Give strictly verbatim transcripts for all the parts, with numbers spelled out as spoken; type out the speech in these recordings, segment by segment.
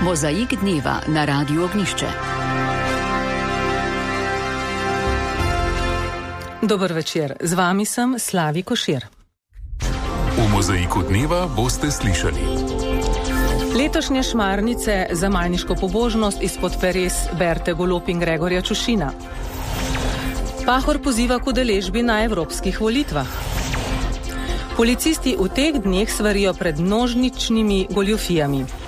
Mozaik dneva na Radiu Ognišče. Dober večer, z vami sem Slavi Košir. V Mozaiku dneva boste slišali. Letošnje šmarnice za majniško pobožnost izpod peres Berte Golob in Gregorja Čušina. Pahor poziva k udeležbi na evropskih volitvah. Policisti v teh dneh svarijo pred množičnimi goljufijami.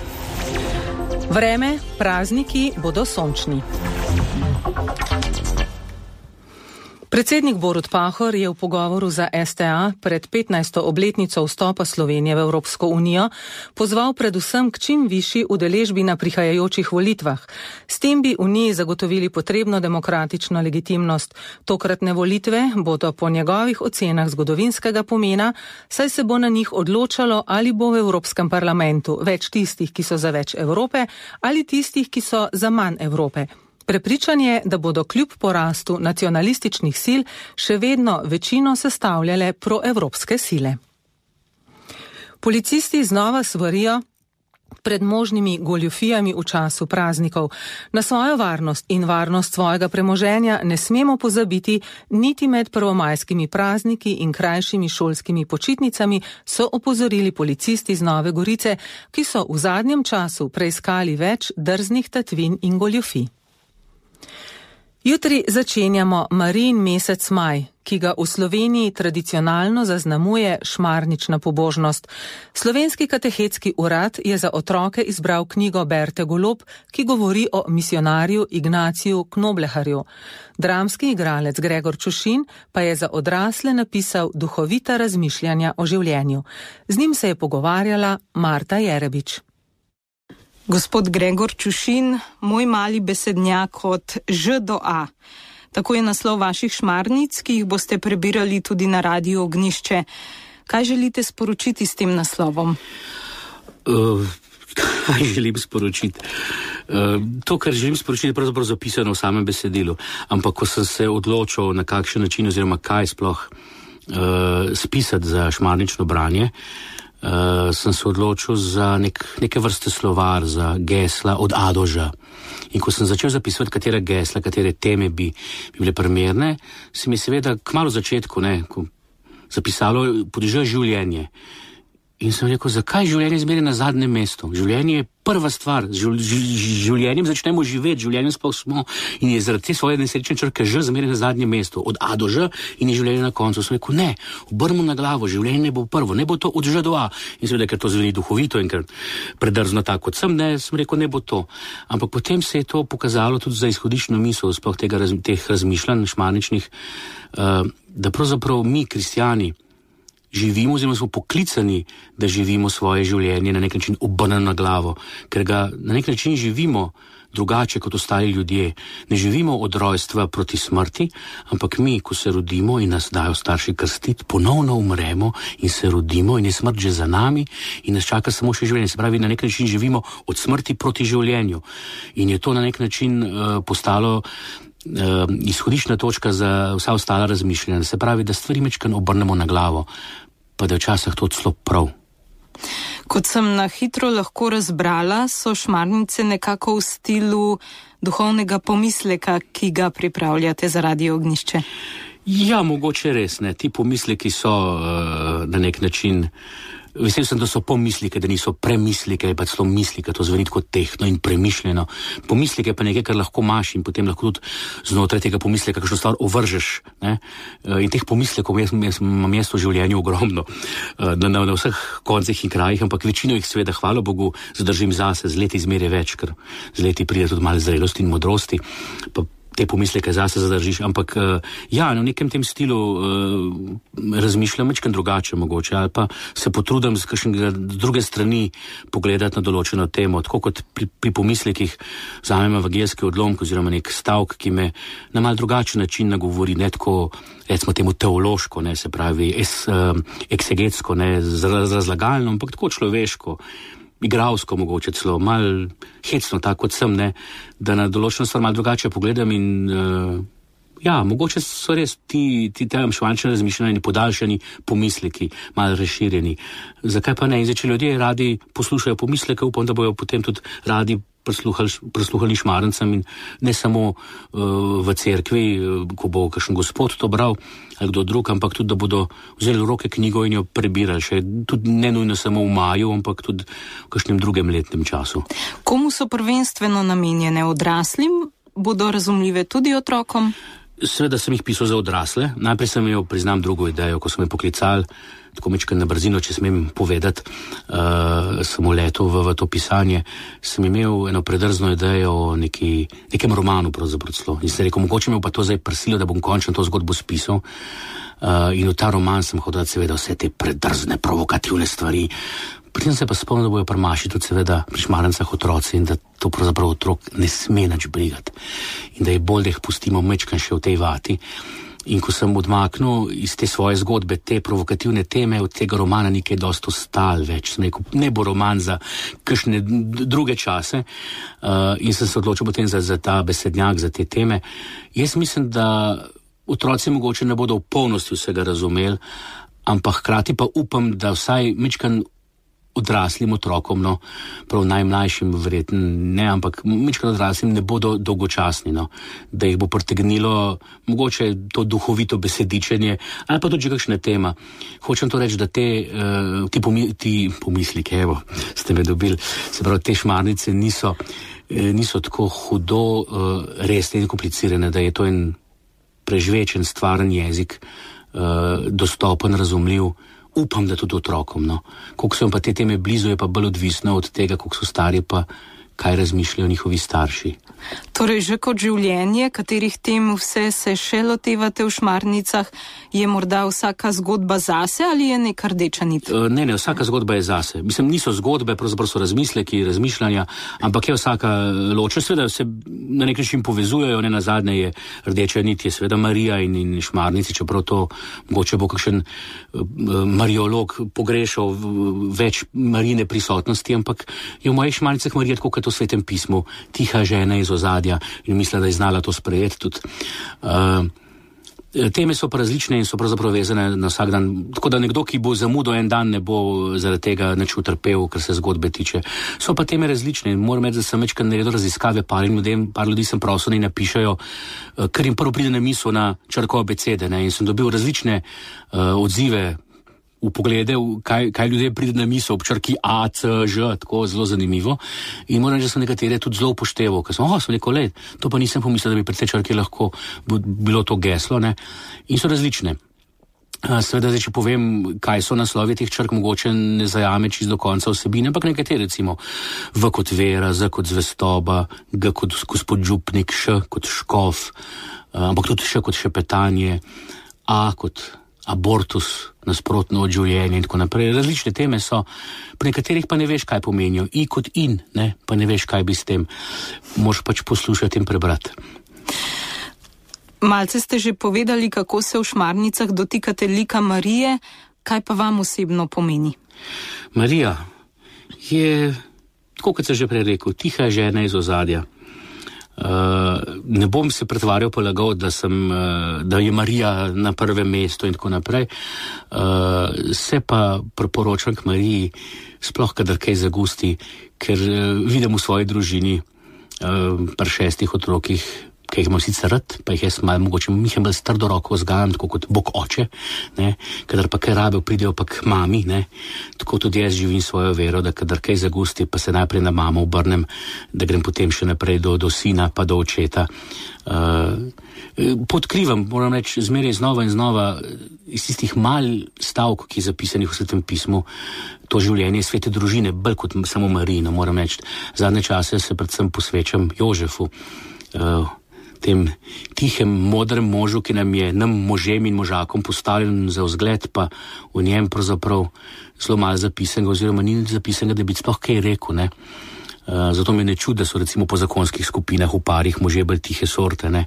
Vreme, prazniki bodo sončni. Predsednik Borut Pahor je v pogovoru za es te a pred petnajsto obletnico vstopa Slovenije v Evropsko unijo pozval predvsem k čim višji udeležbi na prihajajočih volitvah. S tem bi Uniji zagotovili potrebno demokratično legitimnost. Tokratne volitve bodo po njegovih ocenah zgodovinskega pomena, saj se bo na njih odločalo, ali bo v Evropskem parlamentu več tistih, ki so za več Evrope, ali tistih, ki so za manj Evrope. Prepričan je, da bodo kljub porastu nacionalističnih sil še vedno večino sestavljale proevropske sile. Policisti znova svarijo pred možnimi goljufijami v času praznikov. Na svojo varnost in varnost svojega premoženja ne smemo pozabiti niti med prvomajskimi prazniki in krajšimi šolskimi počitnicami, so opozorili policisti iz Nove Gorice, ki so v zadnjem času preiskali več drznih tatvin in goljufij. Jutri začenjamo Marijin mesec maj, ki ga v Sloveniji tradicionalno zaznamuje šmarnična pobožnost. Slovenski katehetski urad je za otroke izbral knjigo Berte Golob, ki govori o misionarju Ignaciju Knobleharju. Dramski igralec Gregor Čušin pa je za odrasle napisal duhovita razmišljanja o življenju. Z njim se je pogovarjala Marta Jerebič. Gospod Gregor Čušin, moj mali besednjak od Ž do A. Tako je naslov vaših šmarnic, ki jih boste prebirali tudi na Radiu Ognišče. Kaj želite sporočiti s tem naslovom? Uh, kaj želim sporočiti? Uh, to, kar želim sporočiti, je pravzaprav zapisano v samem besedilu. Ampak ko sem se odločil, na kakšen način oziroma kaj sploh uh, spisati za šmarnično branje, Uh, sem se odločil za nek, neke vrste slovar, za gesla od A do Ž. In ko sem začel zapisovati, katere gesla, katere teme bi, bi bile primerne, se mi je seveda kmalu začetku ne, ko zapisalo pod Ž življenje. In sem rekel, zakaj življenje zmeraj na zadnjem mestu? Življenje je prva stvar, z življenjem začnemo živeti, življenjem sploh smo in je zaradi te svoje nesrečne črke Ž zmeraj na zadnjem mestu, od A do Ž in je življenje na koncu. Sem rekel, ne, obrnimo na glavo, življenje ne bo prvo, ne bo to od Ž do A. In seveda, ker to zveni duhovito in ker predrzno tako kot sem, ne, sem rekel, ne bo to. Ampak potem se je to pokazalo tudi za izhodiščno misel, sploh tega, teh razmišljanj šmarničnih, uh, da pravzaprav mi, kristjani, živimo, oziroma smo poklicani, da živimo svoje življenje na nek način obrnjeno na glavo, ker ga na nek način živimo drugače kot ostali ljudje. Ne živimo od rojstva proti smrti, ampak mi, ko se rodimo in nas dajo starši krstiti, ponovno umremo in se rodimo in je smrt že za nami in nas čaka samo še življenje. Se pravi, na nek način živimo od smrti proti življenju. In je to na nek način uh, postalo Uh, izhodiščna točka za vsa ostala razmišljanja. Se pravi, da stvari mečkan obrnemo na glavo, pa da je včasih to celo prav. Kot sem na hitro lahko razbrala, so šmarnice nekako v stilu duhovnega pomisleka, ki ga pripravljate za Radio Ognišče. Ja, mogoče res, ne. Ti pomisleki so uh, na nek način. Vesel sem, da so pomislike, da niso premislike, pa celo mislike, to zveni kot tehno in premišljeno. Pomislike pa nekaj, kar lahko imaš in potem lahko tudi znotraj tega pomisleka kakšno stvar ovržeš. Ne? In teh pomislekov jaz, jaz, imam jaz v življenju ogromno, na, na, na vseh koncih in krajih, ampak večino jih seveda, hvala Bogu, zadržim zase, z leti zmeraj več, ker z leti pride tudi malo zrelosti in modrosti, pa te pomisleke zase zadržiš, ampak ja, v nekem tem stilu uh, razmišljam večkrat drugače mogoče, ali pa se potrudim z kakšnega druge strani pogledati na določeno temo, tako kot pri, pri pomislekih vzamem evangeljski odlomek oziroma nek stavk, ki me na mal drugačen način nagovori, ne tako, recimo temu teološko, ne, se pravi, es, uh, eksegetsko, ne, razlagalno, ampak tako človeško, igralsko mogoče celo, mal hecno, tako kot sem, ne, da na določeno stvar mal drugače pogledam in uh, ja, mogoče so res ti, ti tam šmarnične razmišljanja podaljšani pomisleki, mal razširjeni. Zakaj pa ne? In zdaj, če ljudje radi poslušajo pomisleke, upam, da bojo potem tudi radi prisluhali, prisluhali šmarnicam in ne samo uh, v cerkvi, ko bo kakšen gospod to bral ali kdo drug, ampak tudi, da bodo vzeli v roke knjigo in jo prebirali še, tudi ne nujno samo v maju, ampak tudi v kakšnem drugem letnem času. Komu so prvenstveno namenjene? Odraslim? Bodo razumljive tudi otrokom? Seveda sem jih pisal za odrasle. Najprej sem imel, priznam, drugo idejo, ko so me poklicali, tako mečkaj na brzino, če smem povedati, uh, sem uletel v, v to pisanje, sem imel eno predrzno idejo o neki, nekem romanu pravzaprav celo. In sem rekel, mogoče me pa to zdaj prsilo, da bom končno to zgodbo spisal. Uh, in v ta roman sem hodil seveda vse te predrzne, provokativne stvari. Pri tem se pa spomnim, da bojo prmaši tudi seveda pri šmarnicah otroci in da to pravzaprav otrok ne sme nič brigati. In da je bolj, da jih pustimo mečkan še v tej vati. In ko sem odmaknil iz te svoje zgodbe, te provokativne teme, od tega romana ni kaj dosti ostalo več. Sem rekel, ne bo roman za kakšne druge čase. Uh, in sem se odločil potem za, za ta besednjak, za te teme. Jaz mislim, da otroci mogoče ne bodo v polnosti vsega razumeli, ampak hkrati pa upam, da vsaj mečkan odraslim otrokom, no, prav najmlajšim verjetno ne, ampak mečkan odraslim ne bodo dolgočasni, no, da jih bo pritegnilo mogoče to duhovito besedičenje, ali pa tudi že kakšna tema. Hočem to reči, da te, uh, ti, pomi, ti pomislike, evo, ste me dobili, se pravi, te šmarnice niso, eh, niso tako hudo uh, resne in komplicirane, da je to en prežvečen, stvaren jezik, uh, dostopen, razumljiv. Upam, da tudi otrokom, no. Koliko so jim pa te teme blizu, je pa bolj odvisno od tega, koliko so stari, pa kaj razmišljajo njihovi starši. Torej, že kot življenje, katerih tem vse se še lotevate v šmarnicah, je morda vsaka zgodba zase ali je neka rdeča nit? Ne, ne, vsaka zgodba je zase. Mislim, niso zgodbe, pravzaprav so razmisleki, razmišljanja, ampak je vsaka ločena, seveda se na nek način povezujejo, ne, nazadnje je rdeča nit, je seveda Marija in, in šmarnici, čeprav to mogoče bo kakšen uh, mariolog pogrešal več Marijine prisotnosti, ampak je v mojih šmarnicah Marija tako kot v Svetem pismu, tiha žena iz ozadja in mislim, da je znala to sprejeti tudi. Uh, teme so pa različne in so pravzaprav vezane na vsak dan, tako da nekdo, ki bo zamudil en dan, ne bo zaradi tega nič utrpel, kar se zgodbe tiče. So pa teme različne in moram reči, da sem večkrat naredil raziskave par ljudem, par ljudi sem prosil, da napišajo, kar jim prvo pride na misel na črko abecede, ne, in sem dobil različne uh, odzive v poglede, kaj, kaj ljudje pride na misel ob črki A, C, Ž, tako zelo zanimivo. In moram reči, da so nekatere tudi zelo upošteval, ker sem, oh, sem rekel, let, to pa nisem pomislil, da bi pri tej črki lahko bilo to geslo, ne. In so različne. Seveda, zdaj, če povem, kaj so naslovi teh črk, mogoče ne zajame čisto do konca vsebine, ampak nekatere, recimo, V kot vera, Z kot zvestoba, G kot gospod župnik, Š kot škof, ampak tudi Š kot šepetanje, A kot abortus, nasprotno od življenja in tako naprej. Različne teme so, pri nekaterih pa ne veš, kaj pomenijo. I kot in, ne, pa ne veš, kaj bi s tem. Moraš pač poslušati in prebrati. Malce ste že povedali, kako se v šmarnicah dotikate lika Marije. Kaj pa vam osebno pomeni? Marija je, tako kot se že prej rekel, tiha žena iz ozadja. Uh, ne bom se pretvarjal pa lagal, da, sem, uh, da je Marija na prvem mestu in tako naprej. Uh, se pa priporočam k Mariji, sploh kadar kaj zagusti, ker uh, vidim v svoji družini uh, pri šestih otrokih, ki jih imam sicer rad, pa jih jaz malo mogoče, mi jih bolj strdo roko vzgajam, tako kot Bog oče, ne, kadar pa kaj rabijo, pridejo pa k mami, ne, tako tudi jaz živim svojo vero, da kadar kaj zagusti, pa se najprej na mamo obrnem, da grem potem še naprej do, do sina, pa do očeta. Uh, podkrivam, moram reči, zmeraj znova in znova iz tistih mal stavk, ki je zapisanih v Svetem pismu, to življenje svete družine, bolj kot samo Marijino, moram reči. Zadnje čase se predvsem posvečam Jožefu, uh, tem tihem, modrem možu, ki nam je, nam možem in možakom postavljen za vzgled, pa v njem pravzaprav zelo malo zapisanega, oziroma ni zapisanega, da bi sploh kaj rekel, ne. Uh, zato me ne čudi, da so recimo po zakonskih skupinah v parih možje bolj tihe sorte, ne,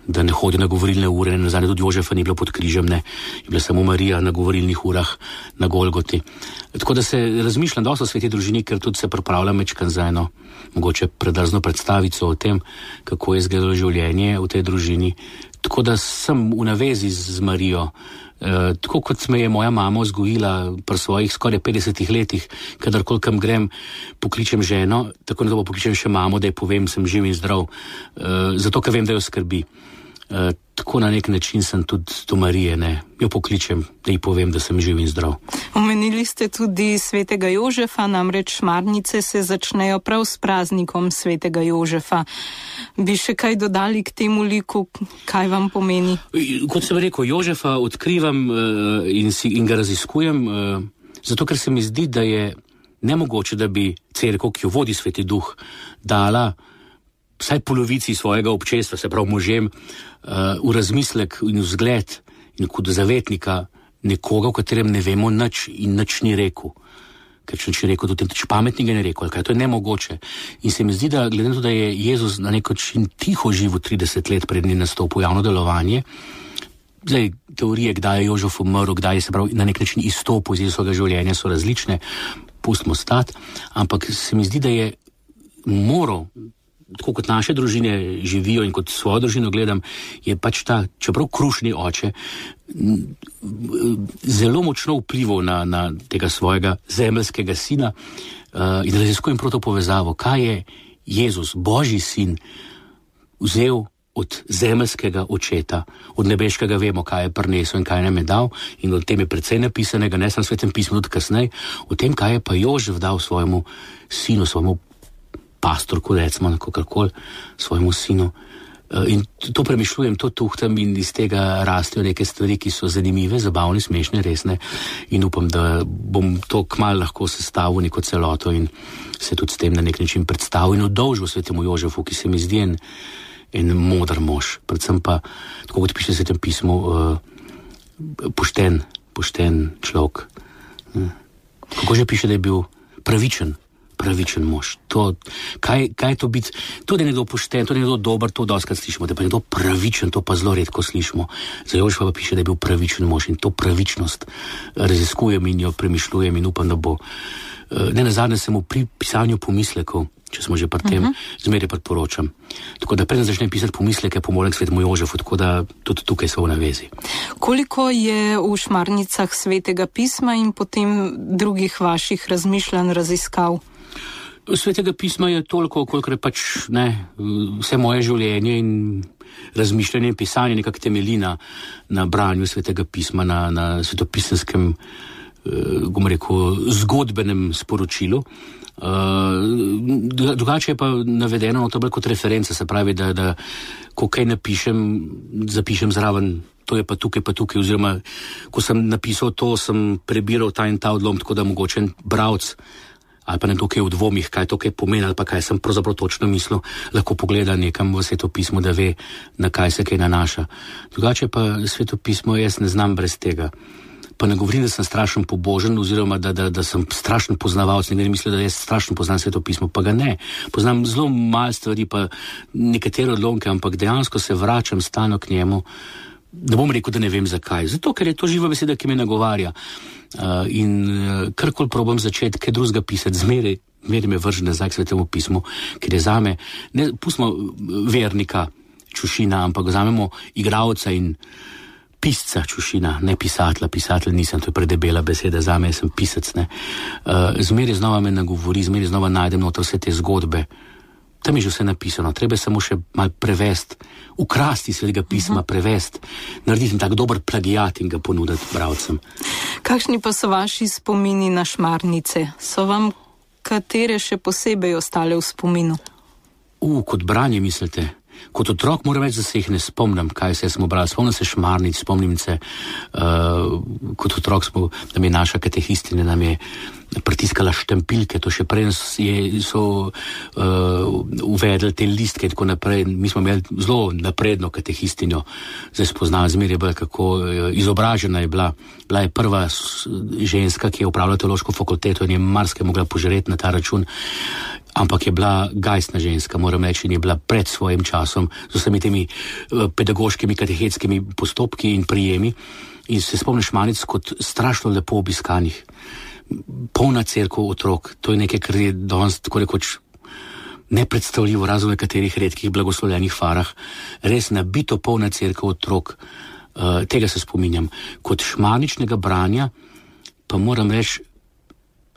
da ne hodijo na govorilne ure, nazadnje tudi Jožefa ni bilo pod križem, ne, je bila samo Marija na govorilnih urah na Golgoti. Tako da se razmišljam dosto o sveti družini, ker tudi se pripravljam mečkan za eno mogoče predrzno predstavico o tem, kako je izgledalo življenje v tej družini. Tako da sem v navezi z Marijo, Uh, tako kot me je moja mama vzgojila pri svojih skoraj petdesetih letih, kadarkoli kam grem, pokličem ženo, tako na to pokličem še mamo, da ji povem, sem živ in zdrav, uh, zato, ker vem, da jo skrbi. Uh, tako na nek način sem tudi do Marije, ne, jo pokličem, da ji povem, da sem živ in zdrav. Omenili ste tudi svetega Jožefa, namreč šmarnice se začnejo prav s praznikom svetega Jožefa. Bi še kaj dodali k temu liku, kaj vam pomeni? Kot sem rekel, Jožefa odkrivam uh, in, si, in ga raziskujem, uh, zato ker se mi zdi, da je nemogoče, da bi cerkev, ki jo vodi Sveti Duh, dala vsaj polovici svojega občestva, se pravi možem, uh, v razmislek in v zgled in kot zavetnika nekoga, v katerem ne vemo nič in nič ni rekel. Ker če ni rekel, tudi nič pametnega ne rekel, kaj to je nemogoče. In se mi zdi, da glede na to, da je Jezus na nek način tiho živel trideset let pred njim nastopil javno delovanje, zdaj teorije, kdaj je Jožef umrl, kdaj je se pravi na nek način izstopil iz Jezusovega življenja, so različne, pustimo stati, ampak se mi zdi, da je moral, tako kot naše družine živijo in kot svojo družino gledam, je pač ta, čeprav krušni oče, zelo močno vplival na, na tega svojega zemeljskega sina uh, in raziskujem prav to povezavo, kaj je Jezus, Božji sin, vzel od zemeljskega očeta, od nebeškega vemo, kaj je prinesel in kaj nam je dal, in o tem je precej napisanega, ne samo v Svetem pismu, tudi kasneje, o tem, kaj je pa Jožef dal svojemu sinu, svojemu pastorku, recimo, kakorkoli, svojemu sinu. In to premišljujem, to tuhtam in iz tega rastejo neke stvari, ki so zanimive, zabavne, smešne, resne in upam, da bom to kmalu lahko sestavil neko celoto in se tudi s tem na nek način predstavil in udolžil Svetemu Jožefu, ki se mi zdi en, en modar mož, predvsem pa, tako kot piše v Svetem pismu, uh, pošten, pošten človek. Kako že piše, da je bil pravičen, pravičen mož. To, kaj, kaj je to biti, to, da je nekdo pošten, to, da je nekdo dober, to doskrat slišimo, da je pa nekdo pravičen, to pa zelo redko slišimo. Za Jožefa pa piše, da je bil pravičen mož in to pravičnost raziskujem in jo premišljujem in upam, da bo. Ne nazadnje se mu pri pisanju pomislekov, če smo že pri tem, uh-huh. zmeraj priporočam. Tako da preden začnem pisati pomisleke, pomolem k Svetemu Jožefu, tako da tudi tukaj so v navezi. Koliko je v šmarnicah Svetega pisma in potem drugih vaših razmišljanj, raziskav? Svetega pisma je toliko, koliko je pač ne, vse moje življenje in razmišljanje in pisanje nekako temelji na, na branju Svetega pisma, na, na svetopisenskem, eh, bom rekel, zgodbenem sporočilu. Uh, drugače je pa navedeno, no, to je kot referenca, se pravi, da, da ko kaj napišem, zapišem zraven, to je pa tukaj, pa tukaj, oziroma ko sem napisal to, sem prebiral ta in ta odlom, tako da mogoče bralec ali pa nekdo, ki je v dvomih, kaj to kaj pomeni, ali pa kaj sem pravzaprav točno mislil, lahko pogleda nekam v Sveto pismo, da ve, na kaj se kaj nanaša. Drugače pa Sveto pismo jaz ne znam brez tega. Pa ne govorim, da sem strašen pobožen, oziroma da, da, da sem strašen poznavalc, nekaj misli, da jaz strašen poznam Sveto pismo, pa ga ne. Poznam zelo malo stvari, pa nekatere odlomke, ampak dejansko se vračam stalno k njemu. Ne bom rekel, da ne vem zakaj. Zato, ker je to živa beseda, ki me nagovarja. Uh, in uh, karkoli probam začeti, kaj drugega pisati, zmeraj, zmeraj me vrže nazaj k Svetemu pismu, ker je zame, ne pustimo vernika Čušina, ampak vzamemo igralca in pisca Čušina, ne pisatla, pisatelj nisem, to je predebela beseda, zame sem pisec, ne. Uh, zmeraj znova me nagovori, zmeraj znova najdem noter vse te zgodbe. Tam je že vse napisano, treba samo še mal prevesti, ukrasti Svetega pisma, uh-huh. prevesti, narediti tak dober plagijat in ga ponuditi bralcem. Kakšni pa so vaši spomini na šmarnice? So vam katere še posebej ostale v spominu? U, kot branje mislite? Kot otrok moram reči, da se jih ne spomnim, kaj se smo brali. Spomnim se šmarnic, spomnim se, uh, kot otrok smo, da mi je naša katehistina, nam je pritiskala štampilke, to še prej je, so uh, uvedli te listke in tako naprej. Mi smo imeli zelo napredno katehistinjo, zdaj spoznala zmeraj je bila, kako uh, izobražena je bila. Bila je prva ženska, ki je upravljala teološko fakulteto in je marsikaj mogla požreti na ta račun. Ampak je bila gajstna ženska, moram reči, in je bila pred svojim časom z vsemi temi uh, pedagoškimi, katehetskimi postopki in prijemi. In se spomnim šmarnic kot strašno lepo obiskanih. Polna cerkev otrok, to je nekaj, kar je danes tako rekoč nepredstavljivo, razen v nekaterih redkih blagoslovljenih farah. Res nabito polna cerkev otrok, Uh, tega se spominjam. Kot šmarničnega branja pa moram reči,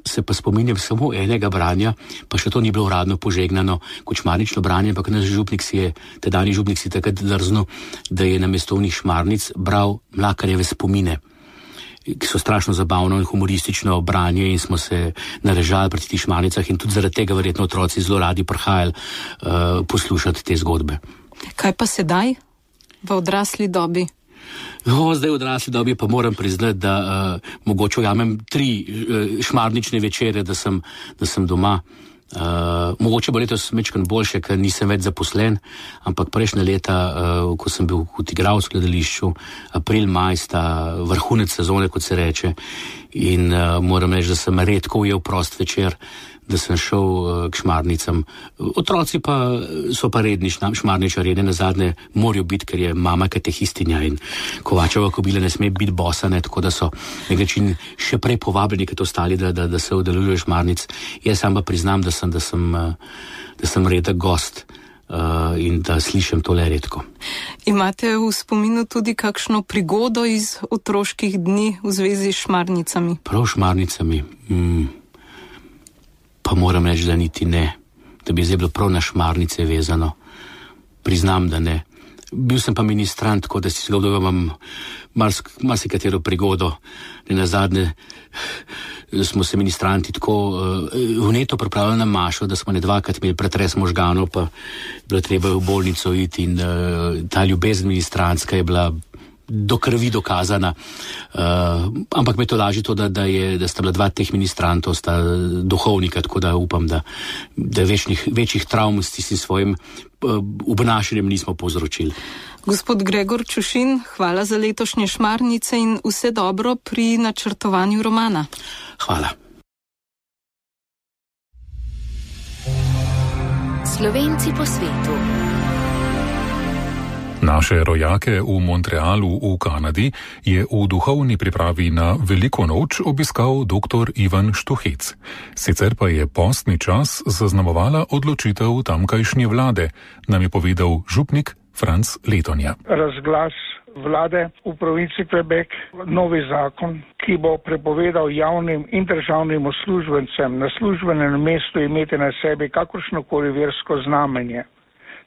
se pa spominjam samo enega branja, pa še to ni bilo uradno požegnano kot šmarnično branje, ampak naš župnik si je, tedajni župnik si takrat drznil, da je na mestovnih šmarnic bral Mlakarjeve spomine, ki so strašno zabavno in humoristično branje in smo se narežali pri tih šmarnicah in tudi zaradi tega verjetno otroci zelo radi prihajali uh, poslušati te zgodbe. Kaj pa sedaj v odrasli dobi? No, zdaj v odrasli dobi pa moram priznati, da uh, mogoče ujamem tri uh, šmarnične večere, da sem, da sem doma. Uh, mogoče bo letos mečkan boljše, ker nisem več zaposlen, ampak prejšnje leta, uh, ko sem bil kot igralec v gledališču, april, maj sta vrhunec sezone, kot se reče, in uh, moram reči, da sem redko ujel prost večer, da sem šel uh, k šmarnicam. Otroci pa so pa redni šmarničarji, ne nazadnje morajo biti, ker je mama katehistinja in Kovačeva kobila ne sme biti bosa, ne, tako da so nekaj še prej povabljeni kot ostali, da, da, da se udeležujejo šmarnic. Jaz sam pa priznam, da sem, da sem, da sem redek gost uh, in da slišim tole redko. Imate v spominu tudi kakšno prigodo iz otroških dni v zvezi s šmarnicami? Prav šmarnicami? Mm. Pa moram reči, da niti ne, da bi zdaj bilo prav na šmarnice vezano. Priznam, da ne. Bil sem pa ministrant, tako da si zgodil imam marsikatero prigodo. Ne nazadnje smo se ministranti tako uh, vneto pripravili na mašo, da smo ne dvakrat imeli pretres možganov, pa bilo treba v bolnico iti in uh, ta ljubezen ministrantska je bila do krvi dokazana, uh, ampak me to laži to, da, da, je, da sta bila dva teh ministrantov, sta duhovnika, tako da upam, da, da večnih, večjih travm s tistim svojim uh, obnašanjem nismo povzročili. Gospod Gregor Čušin, hvala za letošnje šmarnice in vse dobro pri načrtovanju romana. Hvala. Slovenci po svetu. Naše rojake v Montrealu v Kanadi je v duhovni pripravi na Veliko noč obiskal doktor Ivan Štuhec. Sicer pa je postni čas zaznamovala odločitev tamkajšnje vlade, nam je povedal župnik Franc Letonja. Razglas vlade v provinci Quebec, novi zakon, ki bo prepovedal javnim in državnim uslužbencem na službenem mestu imeti na sebi kakršnokoli versko znamenje.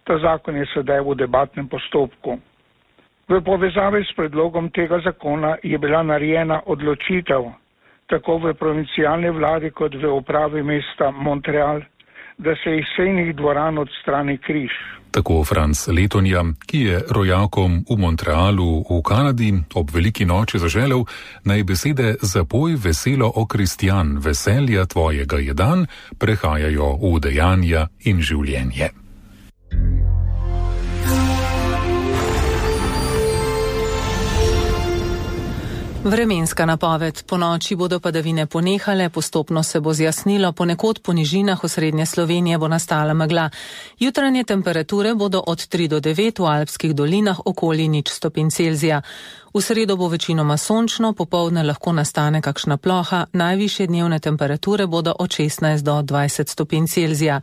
Ta zakon je sedaj v debatnem postopku. V povezavi s predlogom tega zakona je bila narejena odločitev tako v provincialni vladi kot v upravi mesta Montreal, da se iz sejnih dvoran odstrani križ. Tako Franc Letonja, ki je rojakom v Montrealu v Kanadi ob veliki noči zaželel, naj besede zapoj veselo o kristjan, veselja tvojega je dan, prehajajo v dejanja in življenje. Vremenska napoved. Po noči bodo padavine ponehale, postopno se bo zjasnilo, ponekod po nižinah osrednje Slovenije bo nastala megla. Jutranje temperature bodo od tri do devet, v alpskih dolinah okoli nič stopinj Celzija. V sredo bo večinoma sončno, popoldne lahko nastane kakšna ploha, najvišje dnevne temperature bodo od šestnajst do dvajset stopinj Celzija.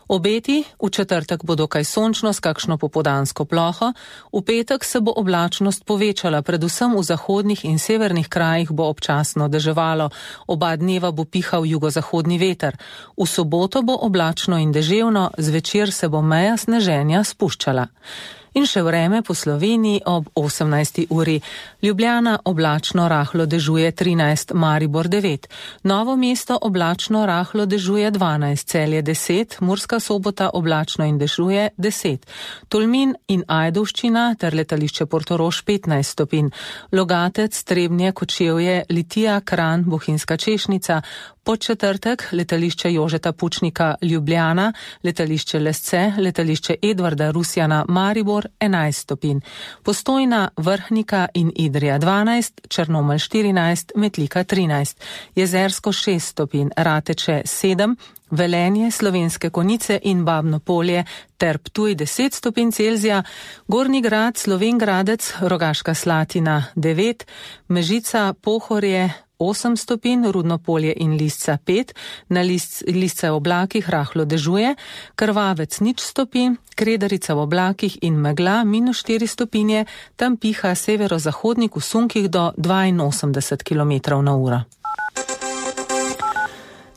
Obeti, v četrtek bo dokaj sončno s kakšno popoldansko ploho, v petek se bo oblačnost povečala, predvsem v zahodnih in severnih krajih bo občasno deževalo, oba dneva bo pihal jugozahodni veter. V soboto bo oblačno in deževno, zvečer se bo meja sneženja spuščala. In še vreme po Sloveniji ob osemnajsti uri. Ljubljana oblačno rahlo dežuje trinajst, Maribor devet. Novo mesto oblačno rahlo dežuje dvanajst, Celje deset, Murska Sobota oblačno in dežuje deset. Tolmin in Ajdovščina ter letališče Portorož petnajst stopinj. Logatec, Trebnje, Kočevje, Litija, Kranj, Bohinjska Češnica. Podčetrtek letališče Jožeta Pučnika Ljubljana, letališče Lesce, letališče Edvarda Rusjana Maribor enajst stopinj. Postojna, Vrhnika in Idrija dvanajst, Črnomelj štirinajst, Metlika trinajst, Jezersko šest stopinj, Rateče sedem, Velenje, Slovenske Konjice in Babno Polje ter Ptuj deset stopinj Celzija, Gornji Grad, Slovenj Gradec, Rogaška Slatina devet, Mežica, Pohorje, osem stopinj, Rudnopolje in Lisca pet, na Lisce v oblakih rahlo dežuje, Krvavec nič stopinj, Kredarica v oblakih in megla minus štiri stopinje, tam piha severozahodnik v sunkih do dvainosemdeset kilometrov na uro.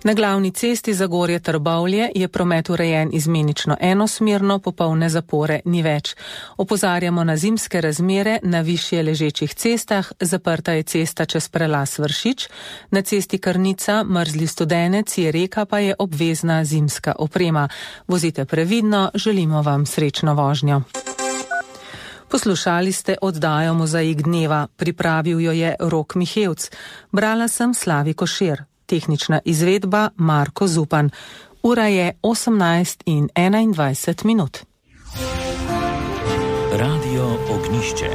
Na glavni cesti Zagorje-Trbovlje je promet urejen izmenično enosmerno, popolne zapore ni več. Opozarjamo na zimske razmere na višje ležečih cestah, zaprta je cesta čez prelaz Vršič, na cesti Krnica Mrzli Studenec je reka, pa je obvezna zimska oprema. Vozite previdno, želimo vam srečno vožnjo. Poslušali ste oddajo Mozaik dneva, pripravil jo je Rok Mihevc. Brala sem Slavi Košir. Tehnična izvedba Marko Zupan. Ura je osemnajst in enaindvajset minut. Radio Ognišče.